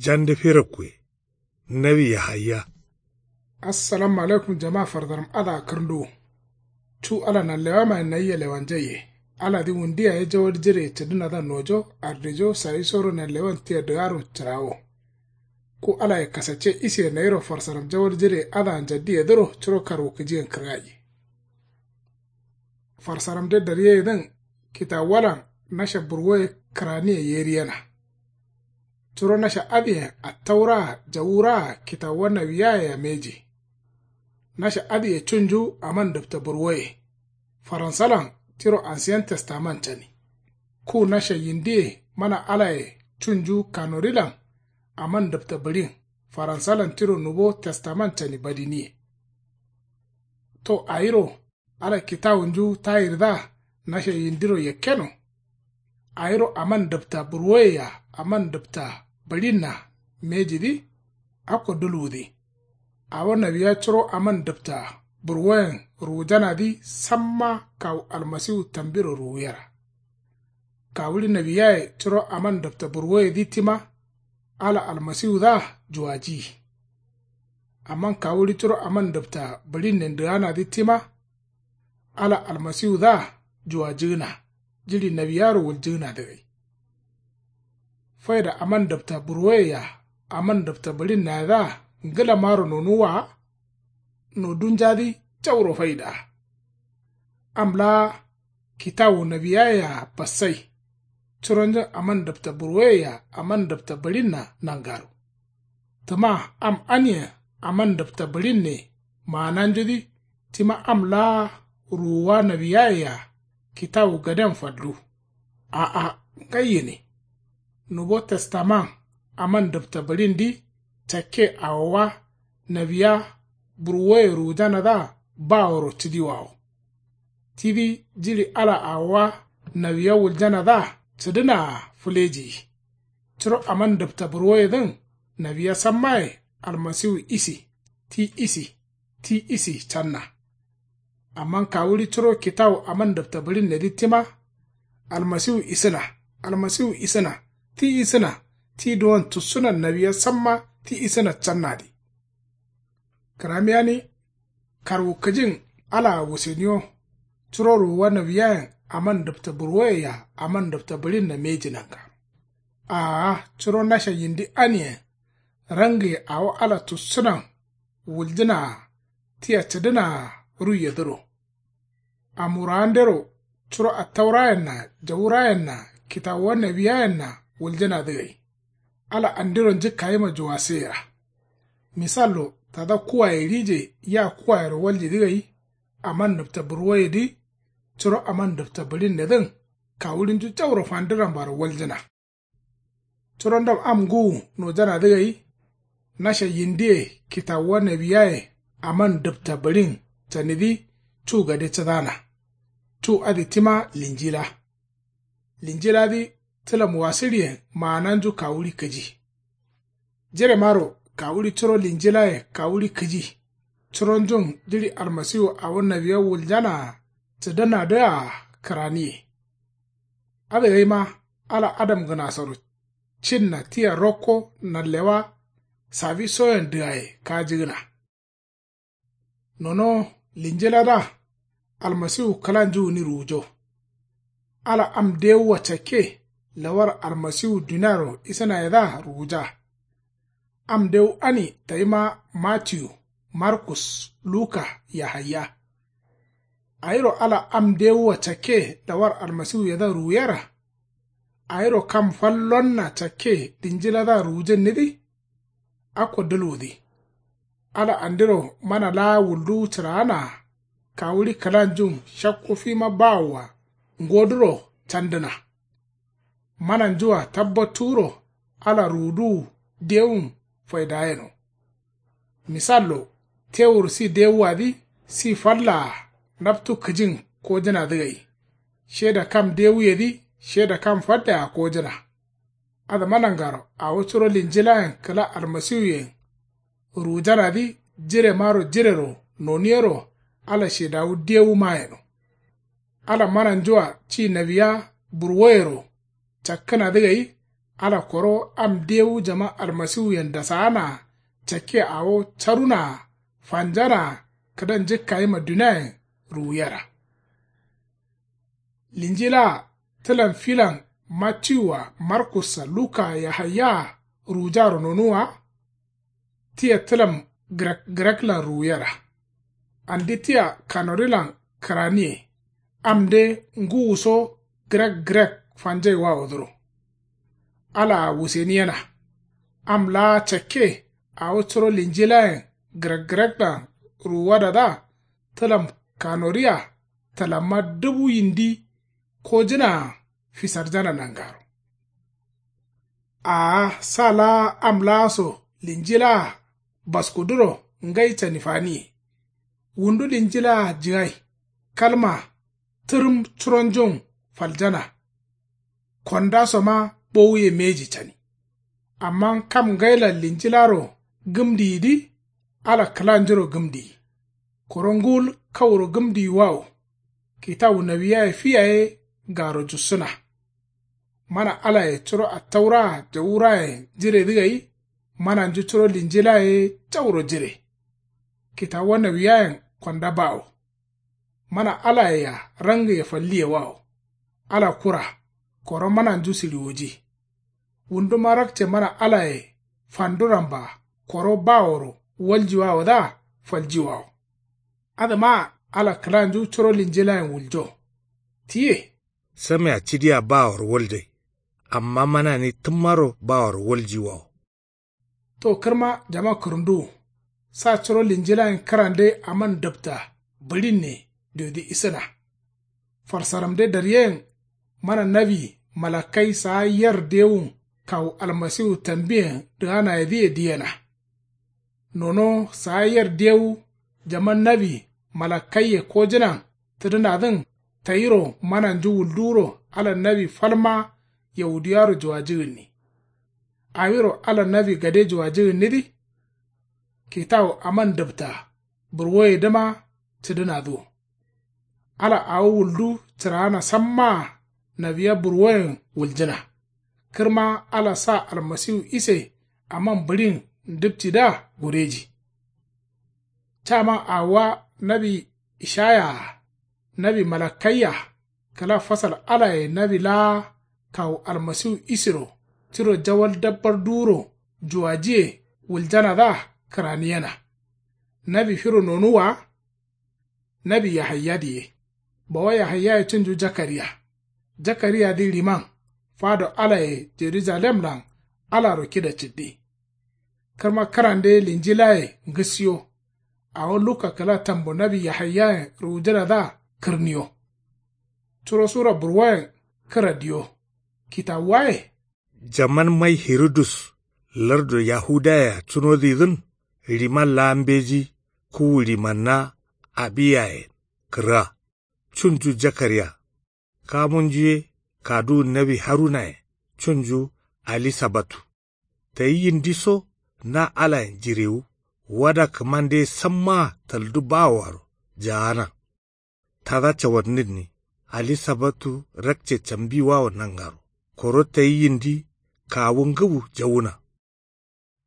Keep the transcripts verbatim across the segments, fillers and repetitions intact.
Jande firabkuye. Nawi yahaya. Assalamu alaikum jama fardaram adǝa kǝrnduwu. Cu ala nanlewamayen nayia lewanjaiye. Aladǝ wundu yaye jawal jireye cǝdǝnadǝa nojo ardijo sawisoro nanlewan tia dǝgaro cǝrawo. Ku alaye kasacce isiye nayiro farsaram jawal jireye adǝa njaddiyedǝro curo karwukǝjiyen kǝrgayi. Farsaramde daryeyedǝn kitawuwalan nasha burwoye kǝraniye yeriyena. Curo nasha adǝyen attauraa jawuraa kitawuwa nawiyayea mbeji. Nasha adǝye cunju aman dǝpta burwoye. Faransalan tiro ansiyen testaman cani. Ku nasha yindiye mana alaye cunju kanorilan aman dǝpta bǝɍin faransalan tiro nubo testaman cani badiniye. To awiro ala kitawunju tayirdǝa nasha yindiro yakkeno. Awiro aman dǝpta burwoyea aman dǝpta bǝɍinna mbejidǝ. Akko dulwudǝ. Awo nawiya curo aman dǝpta burwoyen ruwujanadǝ samma kawu almasiwu tambiro ruwuyera. Kawuɍi nawiyaye curo aman dǝpta burwoyedǝ tima ala almasiwudǝa juwajiyi. Amma kawuɍi curo aman dǝpta bǝɍinnen dǝganadǝ tima ala almasiwudǝa juwajǝgǝna jiɍi nawiyaro wuljǝgǝnadǝ gai. Faida aman dǝpta burwoyea aman dǝpta bǝɍinnayedǝa ngǝlamaro nonuwwa wa. Nodunjadǝ jauro faidaa. Am laa kitawu nawiyayea bassai. Curonjun aman dǝpta burwoyea aman dǝpta bǝɍinna nangaro. Tǝma am aniyen aman dǝpta bǝɍinne maananjudǝ tima am laa ruwuwa nawiyayea kitawu gaden fallu. A'a ngai gǝni. Nubo testaman aman dǝpta bǝɍindǝ cakke awowa nawiya burwoye ruwujanadǝa baworo cǝdiwawo. Tidǝ jiɍi ala awowa nawiya wuljanadǝa cǝdǝnaa fǝlejiyi. Curo aman dǝpta burwoyedǝn nawiya sammaye almasiwu isi ti isi ti isi canna. Amma kawuɍi curo kitawu aman dǝpta bǝɍinnedǝ tima almasiwu isǝna almasiwu isǝna ti isǝna ti duwon tussunan nawiya samma ti isǝna cannadǝ. Kǝramiyani karwukǝjin alaa wuseniyo. Curo ruwuwa nawiyayen aman dǝpta burwoyea aman dǝpta bǝɍinna mbeji nanga. Aa curo nasha yindi aniyen rangǝye awo ala tussunan wuljǝnaa tia cǝdǝnaa ruiyedǝro. Amurawandero curo attaurayenna jawurayenna kitawuwa nawiyayenna wuljǝnadǝ gai. Ala andiro njǝkkayima juwasǝyera. Misallo tada kuwaye rije ya kuwayero waljidǝ gai. Aman dǝpta burwoyedǝ curo aman dǝpta bǝɍinnedǝn kawuɍinju jauro fandǝ rambaro waljǝna. Curo ndam am ngǝwu nojanadǝ gai. Nasha yindiye kitawuwa nawiyaye aman dǝpta bǝɍin canidǝ cu gade cǝdana. Cu adǝ tima linjila. Linjiladǝ tǝlam wasǝɍiyen maananju kawuɍi kǝji. Jiremaro kawuɍi curo linjilaye kawuɍi kǝji. Curonjun jiɍi almasiwu awo nawiya wuljanaa cǝdǝnadǝa kǝraniye. Adǝ gaima ala adamgǝnasoro cinna tia rokko nanlewa sawisoyen dǝgaye kajǝgǝna. Nono linjiladǝa almasiwu kǝlanju gǝni ruwujo. Ala am dewua cakke lawar almasiwu duniaro isǝnayedǝa ruwuja. Am dewu ani tayima matiyu markus luka yahaya. Awiro ala am dewua cakke lawar almasiwuyedǝa ruwuyera. Awiro kam fal lonna cakke linjiladǝa ruwujǝnnidǝ. Akko dǝlwudǝ. Ala andiro mana laa wulduwu cǝraanaa kawuɍi kǝlanjun shakku fima bawoa ngoduro candǝna. Mananjua tabbattuwuro ala ruwuduwu dewun faidayeno. Misallo tewur si dewuwadǝ si fallaa naptu kǝjin kojǝnadǝ gai. Sheda kam dewuyedǝ sheda kam fallea kojǝna. Adǝma nangaro awo curo linjilayen kǝla almasiwuyen ruwujanadǝ jiremaro jirero noniyero ala shedawu dewuma yeno. Ala mananjua ci nawiya burwoyero cakkǝnadǝ gai. Ala koro am dewu jaman almasiwuyen dasaana cakke awo carunaa fanjanaa kǝdan njǝkkayima duniayen ruwuyera. Linjilaa tǝlam filan mattiwua markussa lukaa yahayyaa ruwujaro nonuwwa. Tia tǝlam grek greklan ruwuyera. Andi tia kanorilan kǝraniye. Amde ngǝwuso grek grek fanjaiwawodǝro. Alaa wuseniyena. Am laa cakke awo curo linjilayen grek greklan ruwuwadadǝa tǝlam kanoria tǝlamma dubu yindi kojǝnaa fisarjana nangaro. Aa sa laa am laa so linjilaa baskuduro ngai cani faniye. Wundu linjilaa jigai kalma tǝrǝm curonjun faljana. Kondasoma bowuye mbeji cani. Amma kam ngailan linjilaro gǝmdiyidǝ ala kǝlanjuro gǝmdiyi. Koro ngul kauro gǝmdiyiwawo. Kitawu nawiyaye fi yaye garo jussǝna. Mana alaye curo attauraa jawurayen jiredǝ gai. Mananju curo linjilaye jauro jire. Kitawuwa nawiyayen konda bawo. Mana alayea rangiye falliyewawo. Ala kura koro mananju siɍiwoji. Wunduma rakce mana alaye fanduramba koro baworo waljiwawodǝa faljiwawo. Adǝmaa ala kǝlanju curo linjilayen wuljo. Tiye. Samea cidia baworo waldai. Amma manani tǝmmaro baworo waljiwawo. To kǝrma jama kǝrǝnduwu. Sa curo linjilayen kǝrande aman dǝpta bǝɍinne diodi isǝna. Farsaramde daryeyen mana nawi malakkai saa yer dewun kawu almasiwu tambiyen dǝganayedǝye diyena. Nono saa yer dewu jaman nawi malakkaiye kojǝnan tǝdǝnadǝn tayiro mananju wulduwuro ala nawi falma yawudiyaro juwajigǝnni. Awiro ala nawi gade juwajigǝnnidǝ. Kitawu aman dǝpta burwoyedǝma cǝdǝnadǝ wo. Ala awo wuldu cǝraana sammaa nawiya burwoyen wuljǝna. Kǝrma ala sa almasiwu ise aman bǝɍin ndǝpcidǝa gureji. Caman awowa nawi ishaya-a nawi malakkaiya kǝla fasal alaye nawi laa kawu almasiwu isero tiro jawal dabbar duwuro juwajiye wuljanadǝa kǝraniyena. Nawi firo nonuwwa wa. Nawi yahayyadǝ ye. Bawa yahayyaye cunju jakariya. Jakariyadǝ ɍiman fado alaye jerujalemlan alaro kida cǝddi. Kǝrma kǝrande linjilaye ngǝsiyo. Awo luka kǝla tambo nawi yahayyayen ruwujǝnadǝa kǝrniyo. Curo sura burwoyen kǝra diyo. Kitawuwaye. Jaman mai hirudus lardu yahudayea cunodǝyidǝn ɍiman laa mbeji kuwu ɍimanna abiyayen kǝrga. Cunju jakariya. Kamunju ye kaduwun nawi harunaye cunju alisabatu. Tayi yindiso na alayen jirewu wada kǝmande sammaa taldu bawoaro jaana. Tada cawannǝnni alisabatu rakce cambiwawo nangaro koro tayi yindi kawu ngǝwu jawuna.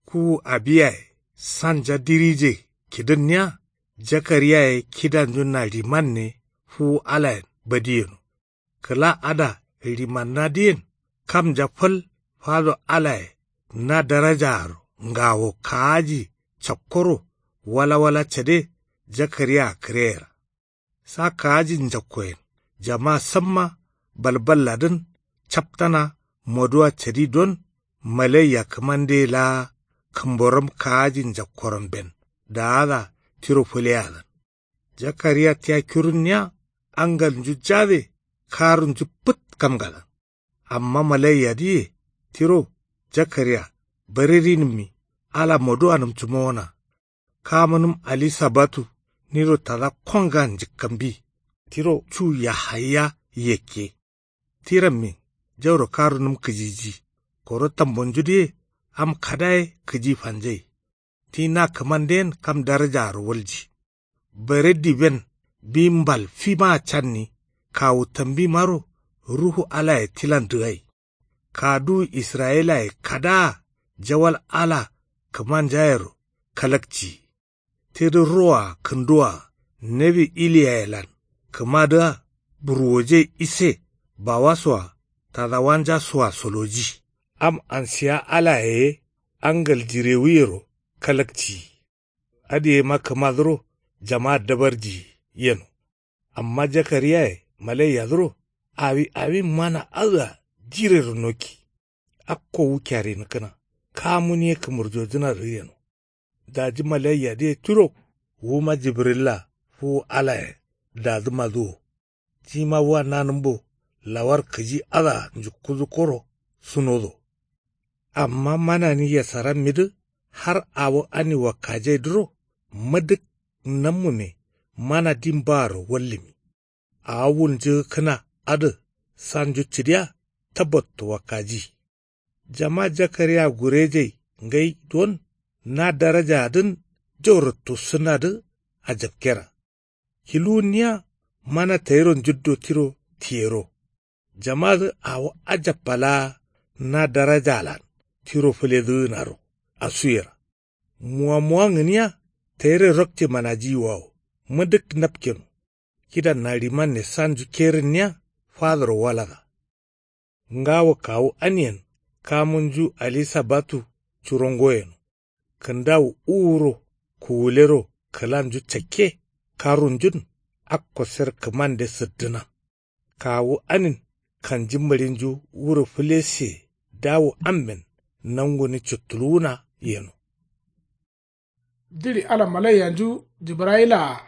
Kuwu abiyaye sanja dirije kidǝnniya. Jakariyaye kidanju na ɍimanne fuwu alayen badiyeno. Kǝla ada ɍimannadǝyen kamnja fal fado alaye na darajaaro ngawo kaaji cakkoro walawala cade jakariyaa kǝreyera. Sa kaaji njakkoyen jama samma balballadǝn captana moduwa cadi don malaiya kǝmandeye laa kǝmboram kaaji njakkoramben daada tiro fǝleyadǝn. Jakariya tia kirunniya angalnju jade karunju pǝt kamgalan. Amma malaiyadǝye tiro jakariya bare rinǝmmi ala moduwanǝm cǝmowona. Kamunǝm alisabatu niro tada kongan njǝkkambi tiro cu yahaya yakke. Ti rammin jauro karunǝm kǝjiji koro tambonjudǝye am kada ye kǝji fanjai. Ti na kǝmandeyen kam darajaaro walji. Bare diben bi mbal fimaa canni kawu tambimaro ruhu alaye tilan dǝgai. Kaduwu israyilaye kadaa jawal ala kǝmanjayero kalakciyi. Tidǝ roa kǝnduwa nawi iliyayelan kǝmadǝa burwoje ise bawasoa tadawanjasoa soloji. Am ansiya alaye ye angal jirewuyero kalakciyi. Adǝ yema kǝmadǝro jama dabarjiyi yeno. Amma jakariyaye malaiyadǝro awi awin mana adǝa jirero nokki. Akko wu kyarinǝkkǝna kamun ye kǝmurjojǝnadǝ yeno. Daji malaiyadǝ ye tiro wuma jibrilla fuwu alayen dadǝmadǝ wo. Tima wa nanǝmbo lawar kǝji adǝa njukkudǝkkoro sunodo. Amma manani yasarammidǝ har awo ani wakkajaidǝro madǝk nammume mana din baaro wallǝmi. Awo wunjǝgǝkkǝna adǝ sanju cǝdiya tabbatto wakkaji. Jama jakariya gurejai ngai don na darajaadǝn jauro tussǝnadǝ ajapkera. Kiluwunniya mana tayiro njuddo tiro tiyero. Jamadǝ awo ajappalaa na darajalan tiro fǝledǝgǝnaro asuyera. Muwamuwangǝniya tayire rokce manajiyiwawo madǝk napkeno. Kidanna rimanne sanju kerǝnniya fadoro walada. Ngawo kawu aniyen kamunju alisabatu curo ngoyeno. Kǝndawu uwuro kuwulero kǝlanju cakke karunjun akko ser kǝmande sǝddǝna. Kawu anin kanji mǝɍinju wuro fǝlesiye dawu amben nanguni cuttuluwuna yeno. Jiɍi ala malaiyanju jibrayilaa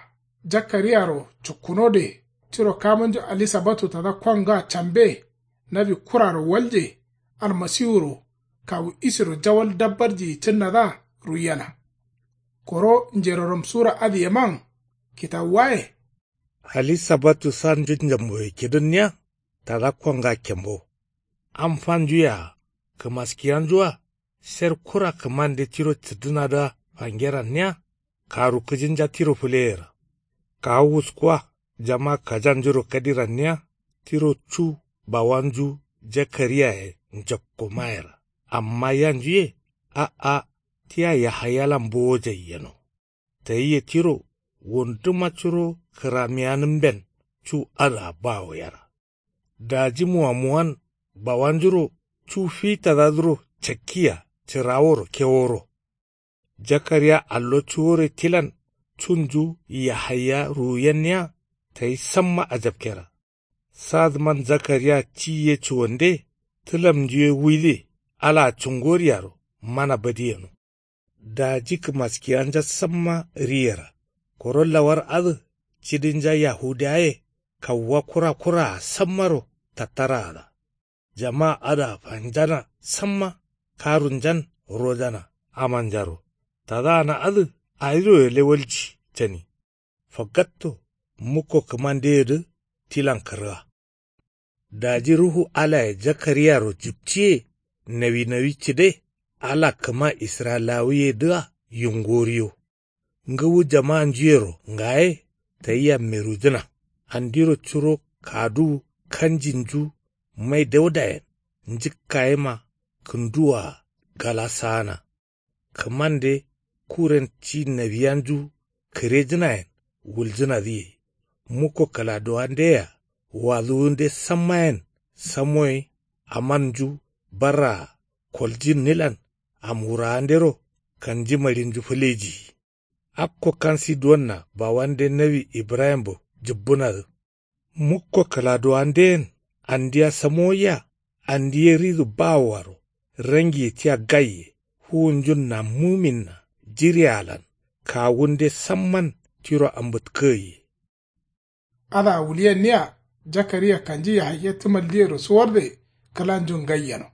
jakkariyaro cukkunode tiro kamunju alisabatu tada konga cambe nawi kuraro walje. Almasiwuro kawu isiro jawal dabbarjiyi cǝnnadǝa ruiyena. Koro njeroram sura adǝyeman kitawuwaye. Alisabatu sanju njamboye kidǝnniya tada konga kembo. Am fanju yea kǝmaskiyanjua ser kura kǝmande tiro cǝddǝnadǝa fangeranniya karu kǝjinja tiro fǝleyera. Kawu wuskuwa jama kajanjuro kadiranniya tiro cu bawanju jakariyaye njokko mayera. Amma yanjuye a'a tia yahayalan bowojai yeno. Tayiye tiro wunduma curo kǝramiyanǝmben cu adǝa bawo yera. Daji muwamuwan bawanjuro cu fitadadǝro cakkiya cǝraworo keworo. Jakariya allo cuwore tilan cunju yahaya ruwuyenniya tayi samma ajapkera. Sadǝman jakariya ci ye cuwande tǝlamnju ye wuide alaa cungoryaro mana badiyeno. Daji kǝmaskiyanja samma riyera koro lawar adǝ cidinja yahudiyaye kawuwa kura kuraa sammaro tattaraada. Jama adǝa fanjana samma karunjan rojana amanjaro tadaana adǝ awiro gǝle walji cani. Fagatto mukko kǝmandeyedǝ tilan kǝrga. Daji ruhu alaye jakariyaro jipciye nawi nawi cǝde ala kǝma israyilawuyedǝa yungoriyo. Ngǝwu jamanjuyero ngaye tayi yammerujǝna. Andiro curo kaduwu kanjinju mai daudayen njǝkkayema kǝnduwaa gala saana. Kǝmande kuren ci nawiyanju kǝrejǝnayen wuljǝnadǝye. Mukko kǝladuwandeyea waduwunde sammayen samoye amanju barraa koljinnilan amwurawandero kanjimaɍinju fǝlejiyi. Akko kansi duwonna bawande nawi ibrahimbo jǝbbǝnadǝ. Mukko kǝladuwandeyen andiya samowoiya andi ye ridu bawoaro rangiye tia gaiye fuwunjun nammuminna jirealan kawunde samman tiro ambǝtkǝgaiye. Adǝa wulyenniya jakariya kanji yahaya tǝmaldiyero suwarde kǝlanjun gai yeno.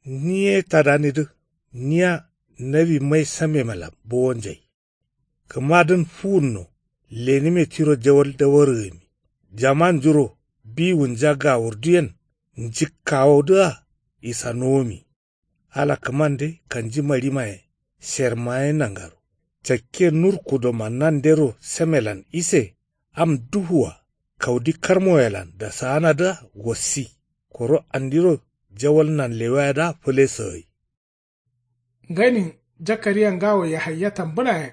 Ni ye tadanidǝ niya nawi mai samemelan bowonjai. Kǝmadǝn fuwunno lenǝme tiro jawal dawargǝmi. Jamanjuro biwunja gawurduyen njǝkkawodǝa isanuwumi. Ala kǝmande kanji maɍimaye sermaye nangaro cakke nur kudoma nandero samelan ise am duwua kaudi karmoyelan dasaanadǝa wassi. Koro andiro jawal nanlewayedǝa fǝle sǝgǝi. Ngainin jakariya ngawo yahaya tambǝnayen.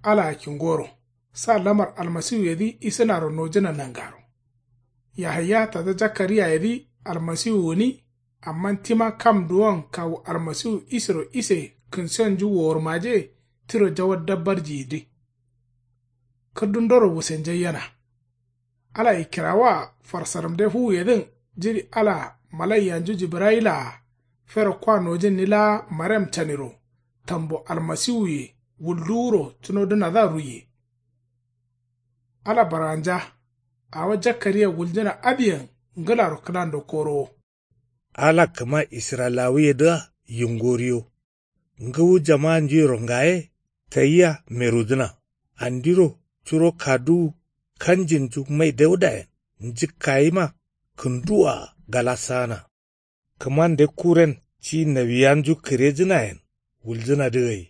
Alaa kingoro sa lamar almasiwuyedǝ isǝnaro nojǝna nangaro. Yahaya tada jakariyayedǝ almasiwu gǝni. Amma tima kam duwon kawu almasiwu isero ise kǝnsiyonju wowurmaje tiro jawal dabbarjiyidǝ. Kǝrdundoro wusenjaiyena. Ala ikkirawoa farsaramde fuwuyedǝn jiɍi alaa malaiyanju jibrayilaa fero kwa nojǝnni laa marem caniro tambo almasiwuye wulduwuro cunodǝnadǝa ruiye. Ala barganja. Awo jakariya wuljǝna adǝyen ngǝlaro kǝlando korowo. Ala kǝma israyilawuyedǝa yingoriyo. Ngǝwu jamaanjuyero ngaye tayia merudǝna. Andiro curo kaduwu kanjinju mai daudayen njǝkkayima kǝnduwaa galasana. Kǝmande kuren ci nawiyanju kǝrejǝnayen wuljǝnadǝ gai.